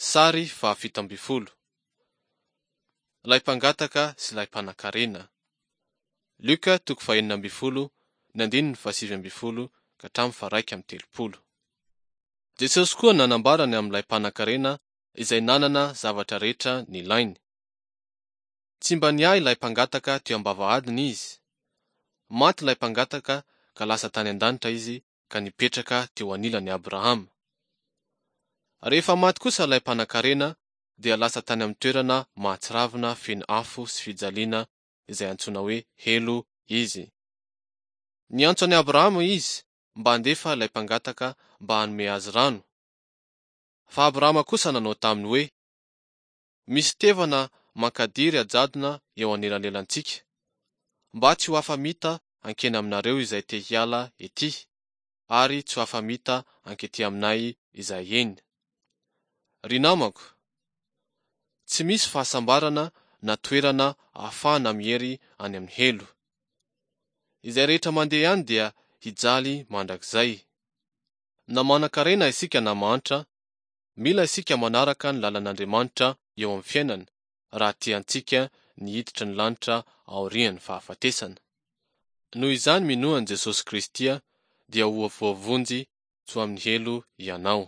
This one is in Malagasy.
Sary faha 17. Ilay mpangataka sy ilay mpanankarena. Lioka toko faha-16 ny andininy faha-19 ka hatramin'ny faha-31. Jesosy koa nanambara ny amin'ilay mpanankarena izay nanana zavatra rehetra nilainy. Tsy mba niahy ilay mpangataka teo am-bavahadiny izy. Maty ilay mpangataka ka lasa tany an-danitra izy ka nipetraka teo anilan'i Abrahama. Rehefa maty kosa ilay mpanankarena dia lasa tany amin'ny toerana mahatsiravina feno afo sy fijaliana izay antsoina hoe helo izy. Niantso an'i Abrahama izy mba handefa ilay mpangataka mba hanome azy rano. Fa Abrahama kosa nanao taminy hoe, Misy tevana mankadiry ajadona eo anelanelantsika, mba tsy ho afa-mita hankeny aminareo izay te hiala ety, ary tsy ho afa-mita hankety aminay izay eny. Ry namako, tsy misy fahasambarana na toerana ahafahana miery any amin'ny helo. Izay rehetra mandeha any dia hijaly mandrakizay. Na manan-karena isika na mahantra, mila isika manaraka ny lalan'Andriamanitra eo amin'ny fiainana raha tiantsika ny hiditra ny lanitra aorian'ny fahafatesana. Noho izany minoa an'i Jesosy Kristy dia ho voavonjy tsy ho amin'ny helo ianao.